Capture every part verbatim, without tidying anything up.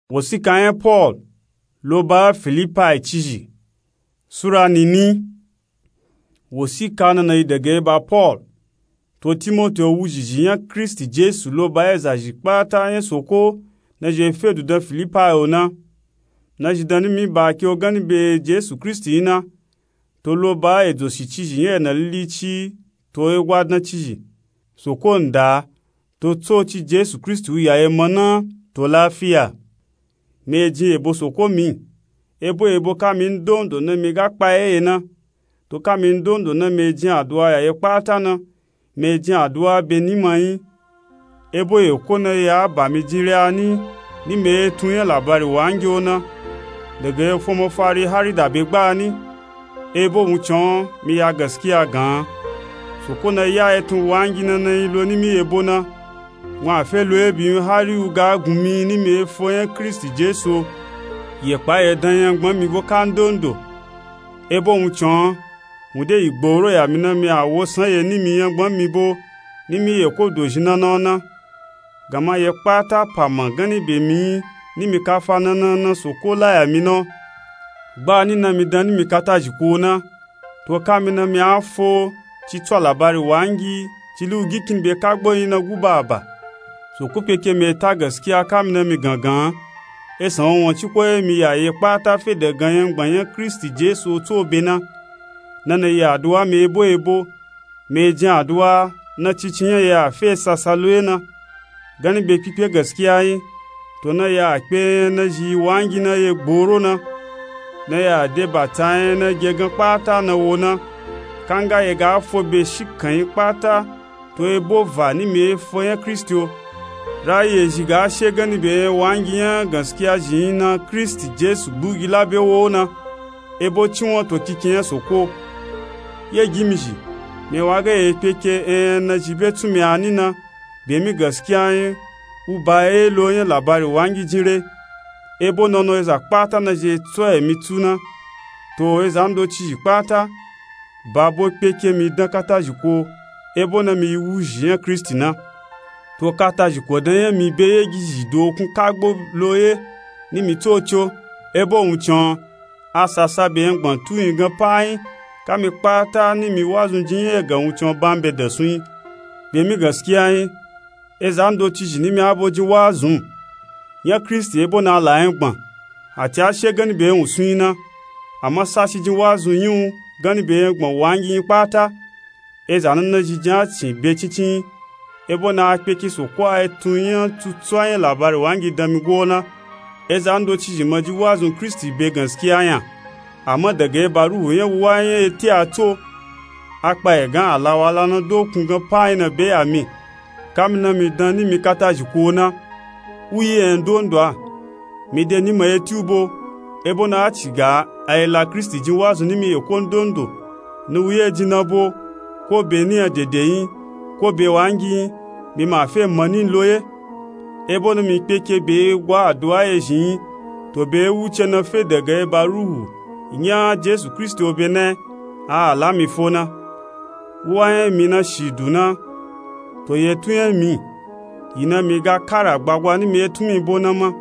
Wosika nya Paul lo ba Filipai cizhi. Sura nini. Wosika nana yi dege ba Paul to Timoti, wuzhizhi nya Kristi Jesu lo ba ezazhi kpata nya Soko na zhi e fedu dan Filipai o na. Na zhi dan nimi ba ke o gani be Jesu Kristi yin na, to lo ba edzo shi cizhi nya ena lili ci to egwa dan cizhi. Soko nda to tsoci Jesu Kristi u ya ema na to lafiya. Mi e jin ebo Soko mi, ebo ebo kami ndondo na mi ga kpa eye na. To kami ndondo na mi e jin aduwa ya ye kpata na, mi e jin aduwa be nima yin. Ebo eko na ya ba mi jin re ani, ni mi e tun nya labari wangi o na, dege efo mafari hari da be gba ani. Ebo wuncin mi ya gaskiya gan. Soko na ya etun wangi na na yi lo nimi ebo na. Wun a fe lo ebi yin hari u ga gun mi ni mi e fo nya Kristi Jesu o. Ye kpa ye dan nya gbon mi bo ka ndondo. Ebo wuncin wun de yi gboro ya mi na mi a wo san ye ni mi nya gbon mi bo, ni mi ye ko dozhi na na o na. Gama ye kpata pa ma gani be mi yin ni mi ka fa na na na Soko la ya mi na o. Gba ni na mi dan ni mi ka ta zhi ko o na. To kami na mi a fo ci tso alabari wangi ci lu gi kini be ka gbo yin na gu ba ba. Soko kpeke mi e ta gaskiya kami na mi gangan. Esan wanwan ci ko ye mi ya ye kpata fe dagan nya gbon nya Kristi Jesu o tso be na. Na na yi aduwa mi ebo ebo. Mi e jin aduwa na cici nya ya fe sasa lo ye na gani be kpikpe gaskiya yin. To na ya kpe nya na zhi wangi na ye gboro na, na ya de bata nya na ge gan kpata na wo na. Kanga ye ga fo be shikan yin kpata to ebo va ni mi e fo nya Kristi o. Rayi ezhi ga she gani be nya wangi nya gaskiya zhi yin na Kristi Jesu gbugi la be wo o na. Ebo ci won to kikin nya Soko. Ye gi mi zhi, mi wa ga ye kpeke enya na zhi be tun mi ani na, be mi gaskiya yin u ba ye lo nya labari wangi jin re. Ebo nono eza kpata na zhi e tso emi tsu na. To eza ndo cizhi kpata ba bo kpeke mi dan ka ta zhi ko, ebo na mi yi wuzhi nya Kristi na. To ka ta zhi ko dan nya mi be ye gi zhi dokun ka gbo lo ye ni mi tsoci o. Ebo wuncin a sasa be nya gbon tu yin gan pa yin kami kpata ni mi wazun jin nya egan wuncin ba mi be dasun yin. Be mi gaskiya yin eza ndo cizhi ni mi abo jin wazun nya Kristi ebo na la nya gbon. Ati a she gani be nya wusun yin na, ama sashi jin wazun yin u gani be nya gbon wangi yin kpata. Eza na na zhi jin a cin be cincin yin. Ebo na a kpeke Soko a etun nya tutswa nya labari wangi dan mi go o na. Eza ndo cizhi ma jin wazun Kristi be gaskiya nya. Ama daga eba ruhu nya wuwa nya eti a tso. A kpa ye gan alawala na dokun gan pa yin na be ya mi kami na mi dan ni mi ka ta zhi ko o na. U yi enya ndondo a mi de ni ma eti u bo. Ebo na a ci ga a yi la Kristi jin wazun ni mi ye ko ndondo. Ni u ye jin na bo, ko be ni nya dede yin, ko be wangi yin, mi ma fe ma ni lo ye. Ebo na mi kpeke be ye gwa aduwa ye zhi yin. To be ye wuce na fe daga eba ruhu nya Jesu Kristi o be na a a la mi fo na. Wuwa nya mi na shidu na to ye tun nya mi yi na mi ga kara gbagwa ni mi etun mi bo na ma.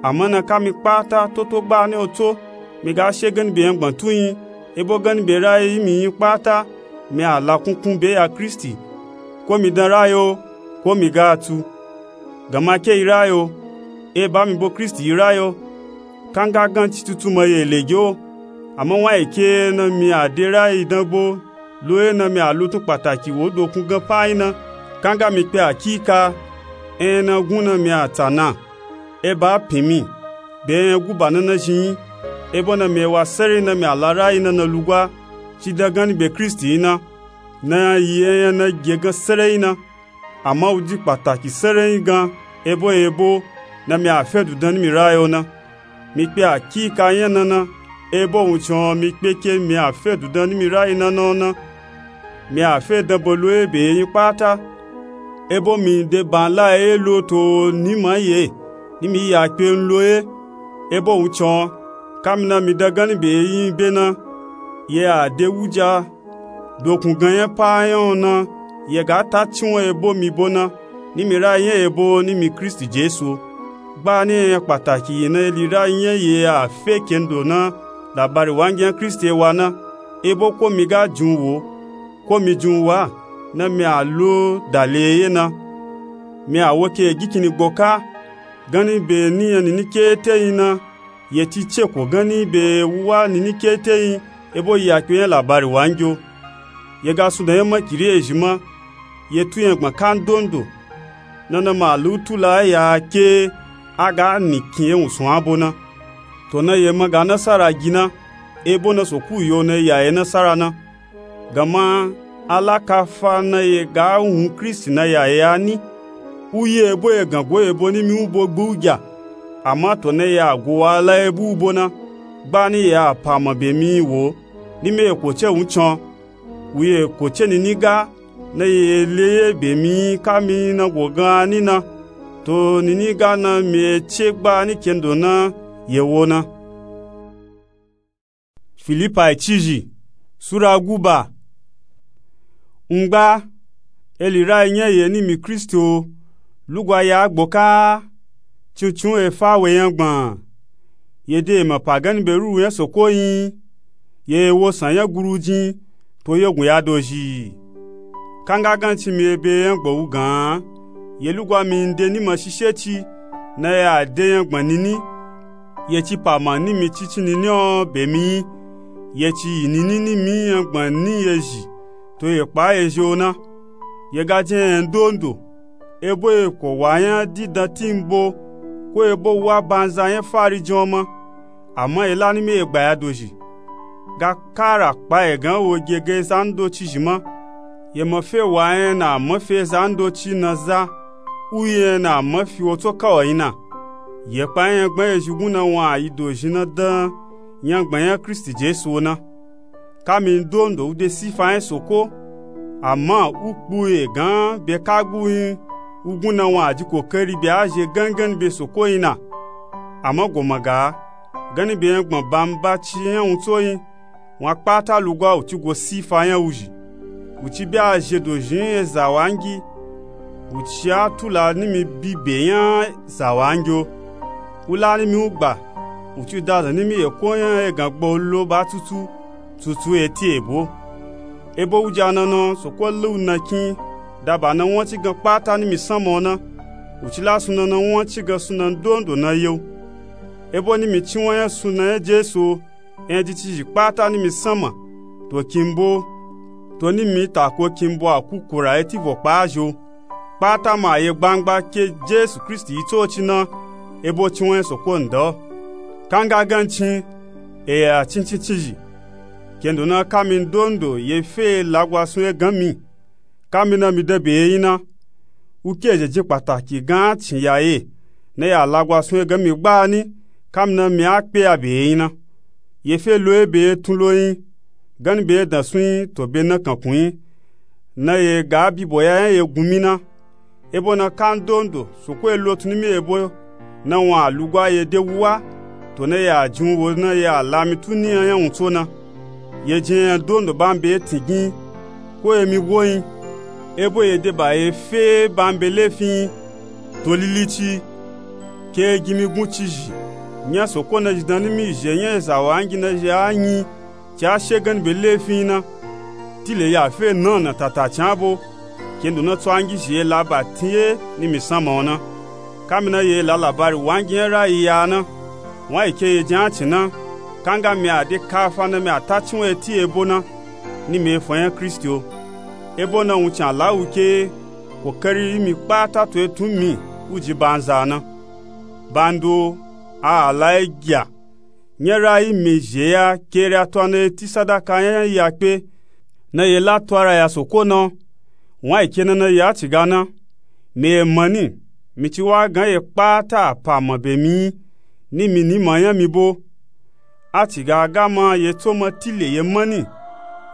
Ama na kami kpata toto gba ni o tso mi ga she gani be nya gbon tu yin. Ebo gani be rayi yi mi yin kpata mi a la kunkun be ya Kristi. Ko mi dan rayi o, ko mi ga a tsu. Gama ke yi rayi o, eba mi bo Kristi yi rayi o. Kanga gan citutu ma ye lege o. Ama wan yi ke na mi a de rayi dan gbo lo ye na mi a lutun kpataki wo dokun gan pa yin na. Kanga mi kpe akika enya na gun na mi a tsa na. Eba a pin mi be enya gu ba na na zhi yin. Ebo na mi ewa sere na mi a la rayi na na lugwa ci dan gani be Kristi yin na. Na yi enya na ge gan sere yin na. Ama u di kpataki sere yin gan ebo ebo na mi a fe du dan ni mi rayi o na. Mi kpe akika nya na na. Ebo wuncin mi kpeke mi a fe du dan ni mi rayi na na o na. Mi a fe dan bo lo ye be ye yin kpata. Ebo mi de ban la ye lo to ni ma ye ni mi ya kpe n lo ye. Ebo wuncin kami na mi dan gani be ye yin be na ye a de wuja dokun gan nya pa nya o na. Ye ga ta ci won ebo mi bo na ni mi rayi nya ebo ni mi Kristi Jesu o. Kpa ni enya kpataki yi na eli rayi nya ye a fe kendo na labari wangi nya Kristi e wa na, ebo ko mi ga jin u wo, ko mi jin u wa, na mi a lo dali eye na. Mi a wo ke gikini gboka, ganni be ni nya nini keteyi na, ye ci ceko ganni be wa nini keteyi, ebo yakpe nya labari wangi o. Ye ga sunda nya makiri ezhi ma, ye tu nya gbma kandondo. Na na ma lu tula ya ke a ga ni kin ye wun sun abo na. To na ye ma ga nasara gi na, ebo na Soko yo na ya ye nasara na. Gama alakafa na ye ga wun Kristi na ya ye a ni. U ye ebo ye gan go ebo ni mi u bo gbu u gya. Ama to na ye a go wa la ebo u bo na. Gba ni ye a pa ma be mi wo, ni mi ye ko ce wun can. Wu ye ko ce nini ga, na ye le ye be mi ka mi na go gan ni na. To nini ga na mi e ce gba ni kendo na ye wo na. Filipai cizhi, Sura guba. Ngba, eli rayi nya ye ni mi Kristi o, lugwa ya gboka, cincin e fa we nya gbma. Ye de ma pa ganni be ruru nya Soko yin, ye wo san nya guru jin, to ye gun ya dozhi. Kanga gancin mi ebe nya gbma wu gan, ye lugwa mi nde ni ma shishe ci, na ye a de nya gbma nini. Ye ci pa ma ni mi cici nini o be mi yin, ye ci yi nini ni mi nya gbma ni ye zhi, to ye kpa ye zhi o na. Ye ga jin nya ndondo, ebo ye ko wa nya didan timbo, ko ebo wa banza nya fari jin o ma. Ama ye la ni mi ye gba ya dozhi. Ga kara kpa ye gan wo ge ge za ndoci zhi ma. Ye ma fe wa nya na ma fe za ndoci na za, u ye na ma fi wo tso ka o yin na. Ye kpa nya gbma ye zhi gun na wa yi dozhi na dan nya gbma nya Kristi Jesu o na. Ka mi ndondo u de sifa nya Soko, ama u kpu ye gan be ka gbu yin, u gun na wa ji kokari be a zhe gangan be Soko yin na. Ama go ma ga, ganni be nya gbma bamba ci nya wun tso yin, wa kpata lugwa u ci go sifa nya wuzhi. U ci be a zhe dozhi nya za wangi, u ci a tula ni mi bi be nya za wangi o. U la ni mi u gba, u ci da zan ni mi ye ko nya ye gan gba u lo ba tutu, tutu eti ebo. Ebo u ja na na Soko le u na kin, da ba na wan ci gan kpata ni mi sanma o na, u ci la suna na wan ci gan suna ndondo na ye u. Ebo ni mi ci wan nya suna nya Jesu o, enya ji cizhi kpata ni mi sanma, to kimbo, to ni mi tako kimbo a kukura eti vo kpa zhi o. Kpata ma ye gbangba ke Jesu Kristi yi tsoci na, ebo ci wan nya Soko nda o. Kanga gancin, e ya cincin cizhi. Kendo na ka mi ndondo ye fe lagwa sun ye gan mi. Ka mi na mi dan be ye yin na. U ke zhe jin kpataki gan cin ya ye, na ya lagwa sun ye gan mi gba ni, ka mi na mi a kpe ya be ye yin na. Ye fe lo ye be ye tun lo yin, ganni be ye dan sun yin to be na kankun yin. Na ye ga bibo ya nya ye gun mi na. Ebo na ka ndondo, Soko ye lo tun ni mi ebo, na wa lugwa ye de wu wa, to na ya jin wo na ya la mi tu ni nya nya wun tso na. Ye jin nya ndondo ba mi be ye tin gin, ko ye mi go yin, ebo ye de ba ye fe ba mi be lefin yin, to lili ci, ke ye gi mi gun cizhi, nya Soko na zhi dan ni mi zhe nya za wangi na zhe a yin, ci a she ganni be lefin yin na. Tile ya fe na na tata cin abo, kendo na tso angi zhi ye la ba tin ye ni mi sanma o na. Ka mi na ye la labari wangi nya rayi ya na. Wan yi ke ye jin a cin na, kanga mi a de kafa na mi a ta ci wan eti ebo na, ni mi ye fo nya Kristi o. Ebo na wun cin a la wu ke, kokari yi mi kpata to ye tun mi, u ji banza na. Bando, a a la ye gya. Nya rayi mi zhe ya ke re a to a na ye ti sadaka nya ya kpe, na ye la to ara ya Soko na o. Wan yi ke na na ye a ci ga na. Mi ye ma ni, mi ci wa gan ye kpata a pa ma be mi yin, ni mi ni ma nya mi bo. A ci ga ga ma ye tso ma tile ye ma ni,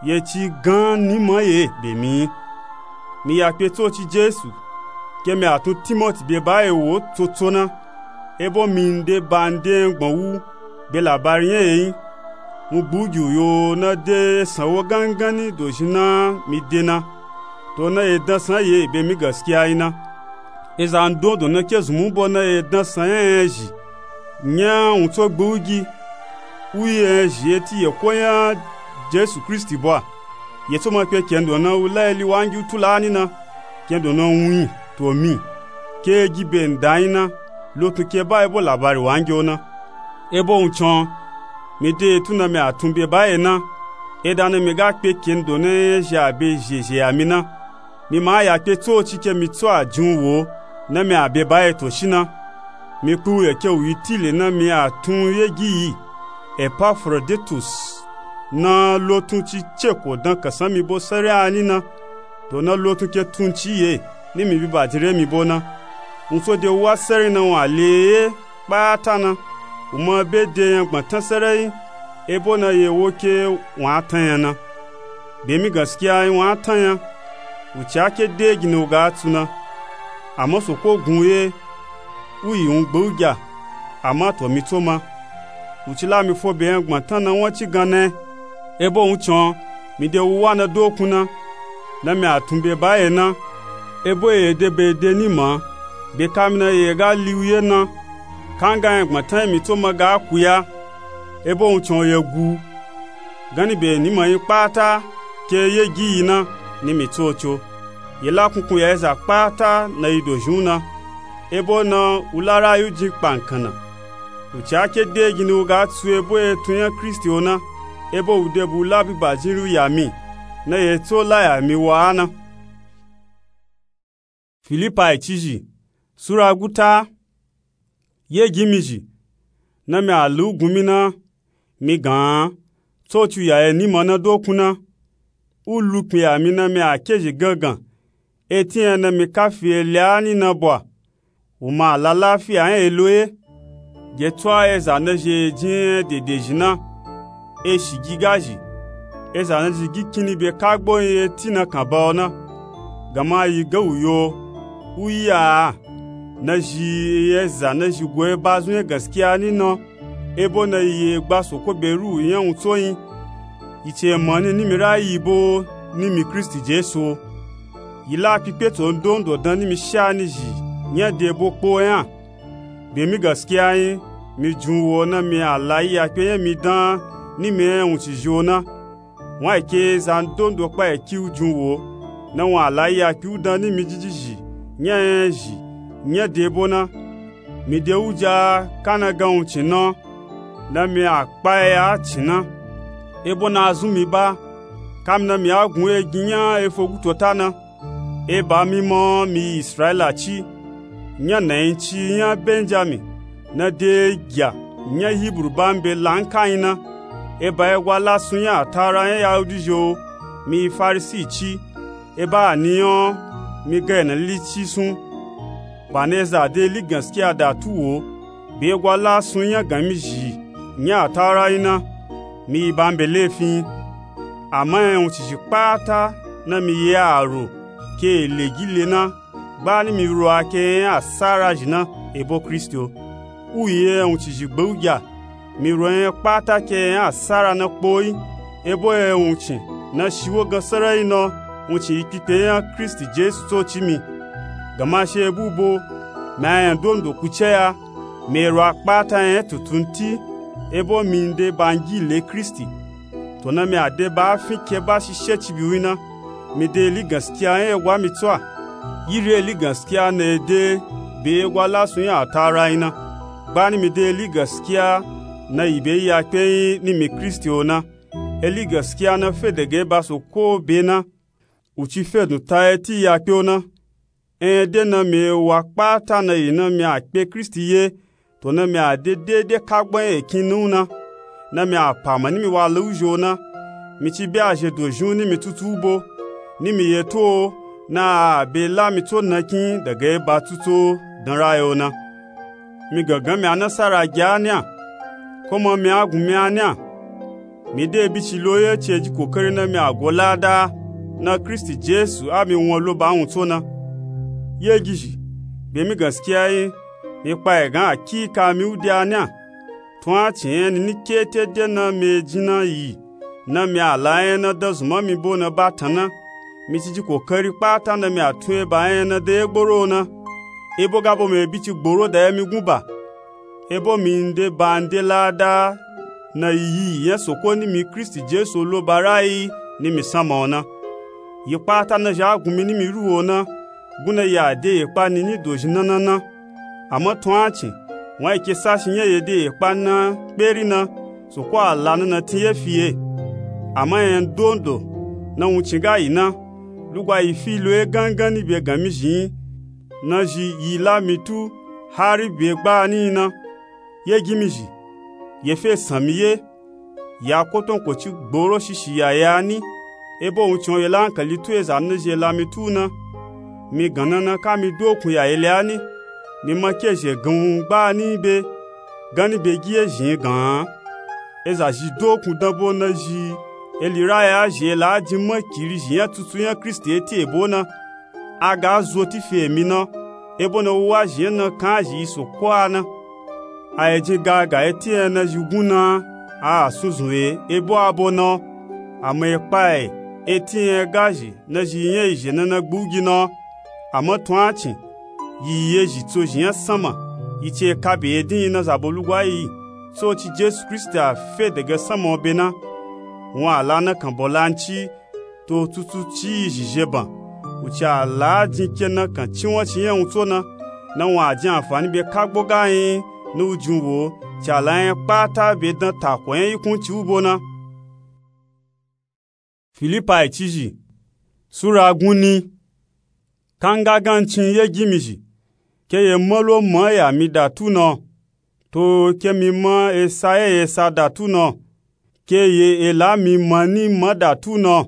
ye ci gan ni ma ye be mi yin. Mi ya kpe tsoci Jesu, ke mi a tun Timoti be ba ye wo tsotso na, ebo mi nde ba nde nya gbma wu be labari nya ye yin. Wun gbu gi u yo na de san wo gangan ni dozhi na mi de na, to na ye dan san ye be mi gaskiya yin na. Eza ndondo na ke zunmu bo na ye dan san nya nya zhi nya wuntso gbe u gi u yi nya zhi eti yeko nya Jesu Kristi bo a. Ye tso ma kpe kendo na u la eli wangi u tu la ni na, kendo na wun yi to mi ke gi be nda yin na, lotun ke ba ebo labari wangi o na. Ebo wuncin o, mi de etu na mi a tun be ba ye na, eda na mi ga kpe kendo na nya nya zhi a be zhezhe ya mi na. Mi ma ya kpe tsoci ke mi tso a jin u wo na mi a be ba ye to shi na. Mi kpe u ye ke u yi tile na mi a tun ye gi yi Epafroditus na lotun ci ceko dan kasan mi bo sere a ni na. To na lotun ke tun ci ye ni mi bi ba jin re mi bo na. Wuntso de u wa sere na wun a le ye kpata na. U ma be de nya gbatan sere yi, ebo na ye wo ke wun a tan nya na. Be mi gaskiya yi wun a tan nya. U ci a ke de gini u ga tsu na. Ama soko gun u ye u yi wun gbe u gya. Ama to mi tso ma u ci la mi fo be nya gbatan na wun ci gan na. Ebo wuncin o, mi de u wa na dokun na na mi a tun be ba ye na. Ebo ye de be de ni ma be ka mi na ye ga li u ye na. Kanga nya gbatan yi mi tso ma ga ku ya. Ebo wuncin o ye gu u ganni be ni ma yi kpata ke ye gi yi na ni mi tsoci o. Ye la kunkun ya eza kpata na yi dozhin u na. Ebo na u la rayu jin kpankan na. U ci a ke de gini u ga tsu ebo etu nya Kristi o na. Ebo u de bu u la bi ba jin ri u ya mi na ye tso la ya mi wa a na. Filipai cizhi sura guta. Ye gi mi zhi na mi a lu gun mi na. Mi gan tsoci u ya ye ni ma na dokun na. U lu kpin ya mi na mi a ke zhi gangan eti nya na mi ka fi eli a ni na bo a. U ma a la lafiya nya elo ye. Ge tso a eza na zhi e jin nya dede zhi na. E shi gi ga zhi eza na zhi gi kini be ka gbo yin eti na kan ba o na. Gama yi ga u yo u yi a a na zhi eza na zhi go e ba zun ye gaskiya ni na. Ebo na yi ye gba soko be ru u nya wuntso yin. Yi ci e ma ni ni mi ra yi bo ni mi Kristi Jesu o. Yi la kpikpe to ndondo dan ni mi sha ni zhi nya de bo kpo nya. Be mi gaskiya yin mi jin u wo na mi a la yi ya kpe nya mi dan ni mi nya wuncizhi o na. Wun a yi ke za ndondo kpa yi ki u jin u wo na wun a la yi ya kpe u dan ni mi jijizhi nya nya zhi nya de bo na. Mi de u ja ka na gan wuncin na na mi a kpa ya a cin na. Ebo na a zun mi ba ka mi na mi a gun e gin nya efo gutota na. E ba mi ma mi yi Israila ci nya na yin ci nya Benjami na de gya nya Hibru ba mi be la nka yin na. E ba egwa lasun nya ataura nya Yahudi zhi o mi yi Farisi ci. E ba a ni nya mi ga e na li ci sun. Ba na eza de li gaskiya da tu wo be egwa lasun nya gan mi zhi nya ataura yin na. Mi yi ba mi be lefi yin. Ama nya wuncizhi kpata na mi yi a ro ke e le gi le na. Gba ni mi ro a ke nya asara zhi na ebo Kristi o. U yi nya wuncizhi gbe u gya. Mi ro nya kpata ke nya asara na kpo yi. Ebo nya wuncin na shi wo gan sarayi na wuncin yi kpikpe nya Kristi Jesu tsoci mi. Gama she bu bo mi a nya ndondo ku ce ya. Mi e ro a kpata nya tuntun ti. Ebo mi de bangi le Kristi. To na mi a de ba a fin ke ba shishe ci bi wi na. Mi de eli gaskiya nya egwa mi tso a. Yiri eli gaskiya na e de be egwa lasun nya ataura yin na. Gba ni mi de eli gaskiya na yi be yi ya kpe yin ni mi Kristi o na. Eli gaskiya na fe dege ba soko be na. U ci fe dun ta eti ya kpe o na. Enya de na mi e wa kpata na yi na mi a kpe Kristi ye. To na mi a de dede ka gban ekin nu na. Na mi a pa ma ni mi wa leu zhi o na. Mi ci be a zhe dozhin u ni mi tutu u bo ni mi ye to o. Na a be la mi tso na kin dege ba tutu o dan ra yo na. Mi gangan mi a nasara gya ni a. Ko ma mi a gun mi a ni a. Mi de bi ci lo ye ci e ji kokari na mi a go lada na Kristi Jesu a mi won lo ba wun tso na. Ye gizhi be mi gaskiya yin. Mi kpa egan akika mi u de a ni a. Tun a ci nya ni ni kete de na mi e jin na yi na mi a la nya na dan zun ma mi bo na ba tan na. Mi ci ji kokari kpata na mi a tun e ba nya na dan ye gboro o na. ebo ga bo mi bi ci gboro da ye mi gun ba. Ebo mi nde ba nde lada na yi yi nya soko ni mi kristi jesu lo ba rayi ni mi sanma o na. Yi kpata na zha gun mi ni mi ru o na gun na ya de yi kpa ni ni dozhi na na na. Ama tun a cin wan yi ke sashi nya ye de yi kpa na kperi na soko a la na na tin ye fi ye. Ama nya ndondo na wuncin ga yi na lugwa yi fi lo ye gangan ni be gan mi zhi yin na zhi yi la mi tu hari be gba ni yin na. Ye gi mi zhi ye fe san mi ye. Ya koton ko ci gboro shishi ya ya ni ebo wuncin o ye la hankali tu ye za na zhi ye la mi tu na. Mi gan na na ka mi dokun ya ye le a ni mi ma ke zhe gan wun gba ni be gan ni be gi ye zhin gan. Eza zhi dokun dan bo na zhi eli raya zhi ye la a jin makiri zhi nya tutu nya kristi ye ti ebo na. A ga zo ti fi emi na ebo na wuwa zhi nya na kan a zhi yi soko a na. A ye jin ga ga eti nya na zhi gun na a a sun zun ye ebo a bo na. Ama ye kpa ye eti nya ga zhi na zhi yi nya yi zhe na na gbu gi na. Ama tun a cin yi yi ye zhi tso zhi nya sanma yi ci ye ka be ye din yi na zabo lugwa yi tso ci jesu kristi a fe dege sanma o be na. Wun a la na kan bo lanci to tutu ci yi zhi zhe ban. Wuci a la a jin ke na kan ci wan ci nya wun tso na na wun a jin anfani be kagbo ga yin ni wu jin wo ci a la nya kpata be dan tako nya yi kun ci wu bo na. Filipai cizhi sura gunni. Kanga gancin ye gi mi zhi ke ye malo ma ya mi da tu na. To ke mi ma esa ye esa da tu na ke ye ela mi ma ni ma da tu na.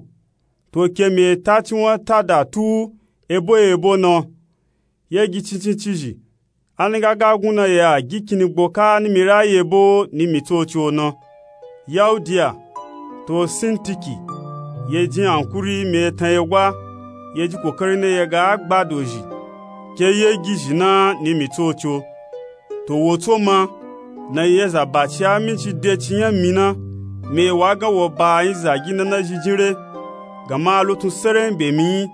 To ke mi eta ci wan ta da tu ebo ebo na. Ye gi cincin cizhi a ni ga ga gun na ye a gi kini gbo ka ni mi rayi ebo ni mi tsoci o na. Yaudiya to sintiki ye jin ankuri mi etan ye gwa ye ji kokari na ye ga gbado zhi ke ye gi zhi na ni mi tsoci o. To wo tso ma na ye za baci a mi ci de ci nya mi na mi ye wa gan wo ba yin zagi na na zhi jin re. Gama a lo tun sere yin be mi yin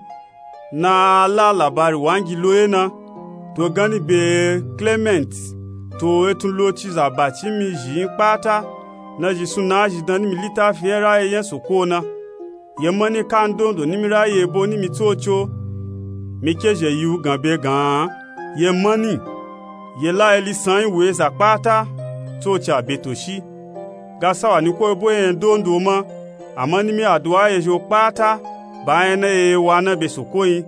na a la labari wangi lo ye na. To ganni be klement to etun lo ci za baci mi zhi yin kpata na zhi sun na a zhi dan ni mi litafi nya rayi nya soko o na. Ye mani ka ndondo ni mi rayi ebo ni mi tsoci o. Mi ke zhe yi wu gan be gan ye mani ye la eli san yin wu eza kpata tsoci a be to shi. Ga sawa ni ko ebo ye nya ndondo ma ama ni mi aduwa ye zhi o kpata ba nya na ye wa na be soko yin.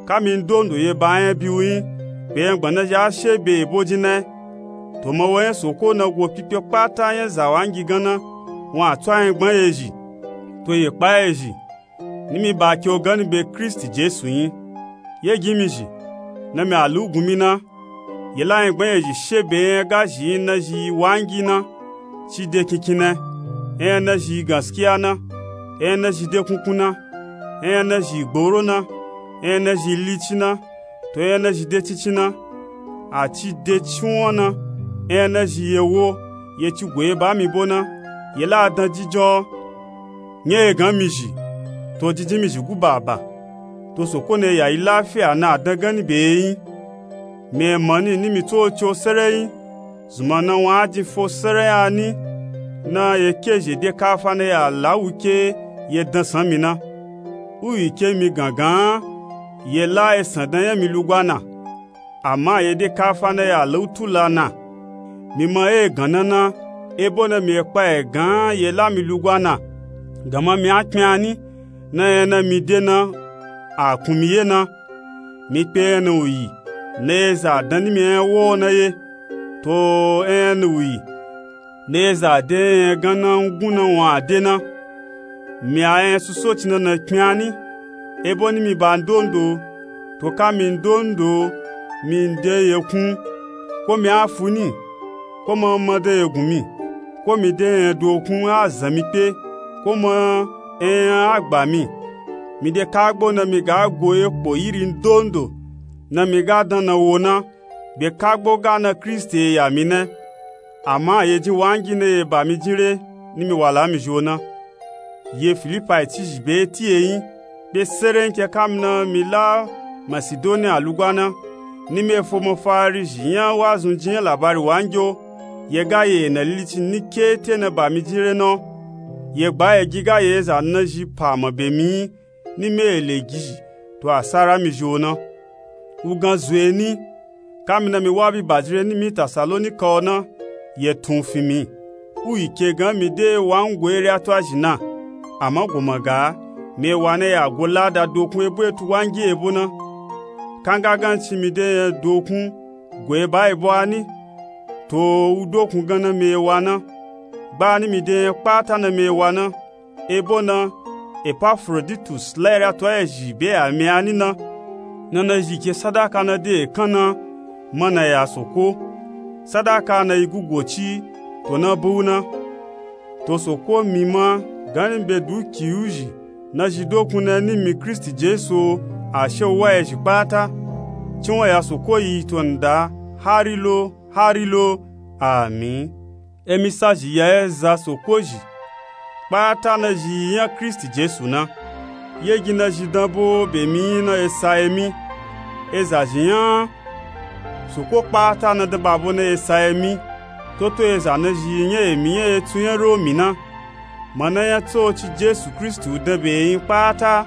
Ka mi ndondo ye ba nya bi wu yin be nya gbana zhi a she be ebo jin na. To ma wo nya soko na go pipe kpata nya za wangi gan na wun a tso a nya gban ye zhi to ye kpa ye zhi ni mi ba ke o ganni be kristi jesu yin. Ye gi mi zhi na mi a lu gun mi na ye la nya gban ye zhi she be nya ga zhi yin na zhi wangi na. Ci de kinkin na nya na zhi gaskiya na nya na zhi de kunkun na nya na zhi gboro na nya na zhi lici na to nya na zhi de cincin na a ci de ciwon na nya na zhi ye wo ye ci go ye ba mi bo na ye la dan jijo. Nya ye gan mi zhi to jinjin mi zhi gu baba to soko na ye ya yi lafiya na a dan ganni be ye yin. Mi ye mani ni mi tsoci o sere yin zunma na wun a jin fo sere nya ni na ye ke zhe de kafa na ye a la wu ke ye dan san mi na. Wu yi ke mi gan gan ye la esan dan nya mi lugwa na ama ye de kafa na ye a la wu tula na. Mi ma ye gan na na ebo na mi ye kpa ye gan ye la mi lugwa na gama mi a kpin a ni na nya na mi de na a kun mi ye na. Mi kpe nya na wu yi na ye za dan ni mi nya wo na ye to nya na wu yi na ye za de nya nya gan na ngun na wun a de na. Mi a nya susoci na na kpin a ni ebo ni mi ba ndondo to ka mi ndondo mi nde ye kun ko mi a fu ni ko ma ma de ye gun mi ko mi de nya nya dokun a zan mi kpe ko ma nya nya a gba mi. Mi de kagbo na mi ga go ye kpo yiri ndondo na mi ga dan na wo na be kagbo ga na kristi ye ya mi na. Ama ye jin wangi na ye ba mi jin re ni mi wala mi zhi o na. Ye filipai cizhi be ti ye yin be sere yin ke ka mi na mi la masidoniya lugwa na ni mi efo mafari zhi nya wazunji nya labari wangi o. Ye ga ye na lilici ni kete na ba mi jin re na o. Ye gba ye gi ga ye eza nazhi pa ma be mi yi ni mi ele gi zhi to asara mi zhi o na. Wugan zo ye ni, kami na mi wa bi ba jin re ni mi tasalonika o na, ye tun fi mi. Wu yi ke gan mi de wa ngu ere atwa zhi na. Ama go ma ga mi ewa na ya go lada dokun ebo etu wangi ebo na. Kanga gan ci mi de nya dokun go eba ebo a ni. To wu dokun gan na mi ewa na. Gba ni mi de nya kpata na mi ewa na. Ebo na, epafroditus la ere atwa ezhi be ya mi a ni na. Na nazhi ke sadaka na de ekan na, ma na ya soko. Sadaka na yi gugo ci to na bu na. To soko mi ma gani be duki wu zhi nazhi dokun na ni mi kristi jesu o. Ashe wu wa ezhi kpata. Cin wa ya soko yi to nda hari lo, hari lo. Amin. Emi sa zhi ya eza soko zhi kpata nazhi yi nya kristi jesu na. Ye gi nazhi dan bo be mi yi na esa emi. Eza zhi nya soko kpata na dan ba bo na esa emi. Toto eza nazhi yi nya emi nya etsu nya romi na. Ma na nya tsoci jesu kristi u dan be yi kpata.